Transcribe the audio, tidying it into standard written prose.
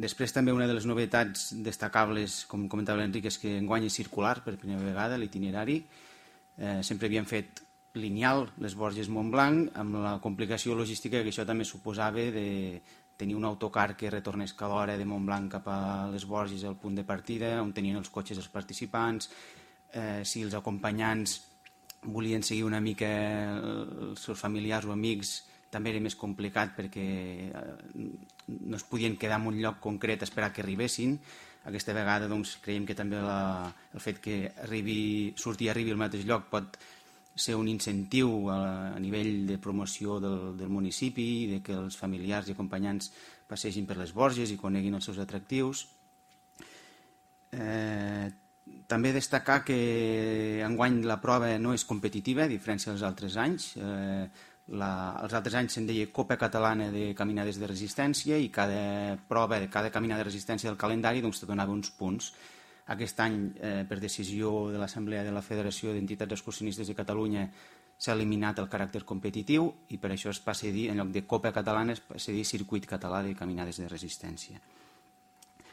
Després també una de les novetats destacables, com comentava l'Enric, és que enguany és circular per primera vegada l'itinerari. Sempre havien fet lineal les Borges Montblanc, amb la complicació logística que això també suposava de tenir un autocar que retornés cada hora de Montblanc cap a les Borges al punt de partida, on tenien els cotxes els participants. Si els acompanyants volien seguir una mica els seus familiars o amics, també era més complicat perquè no es podien quedar en un lloc concret a esperar que arribessin. Aquesta vegada doncs, creiem que també el fet que surti i arribi al mateix lloc pot ser un incentiu a nivell de promoció del municipi, de que els familiars i acompanyants passegin per les Borges i coneguin els seus atractius. També destacar que enguany la prova no és competitiva, a diferència dels altres anys. Els altres anys se'n deia Copa Catalana de Caminades de Resistència i cada prova, cada caminada de resistència del calendari te donava uns punts. Aquest any, per decisió de l'Assemblea de la Federació d'Entitats Excursionistes de Catalunya, s'ha eliminat el caràcter competitiu i per això es passa a dir, en lloc de Copa Catalana, es passa a dir Circuit Català de Caminades de Resistència.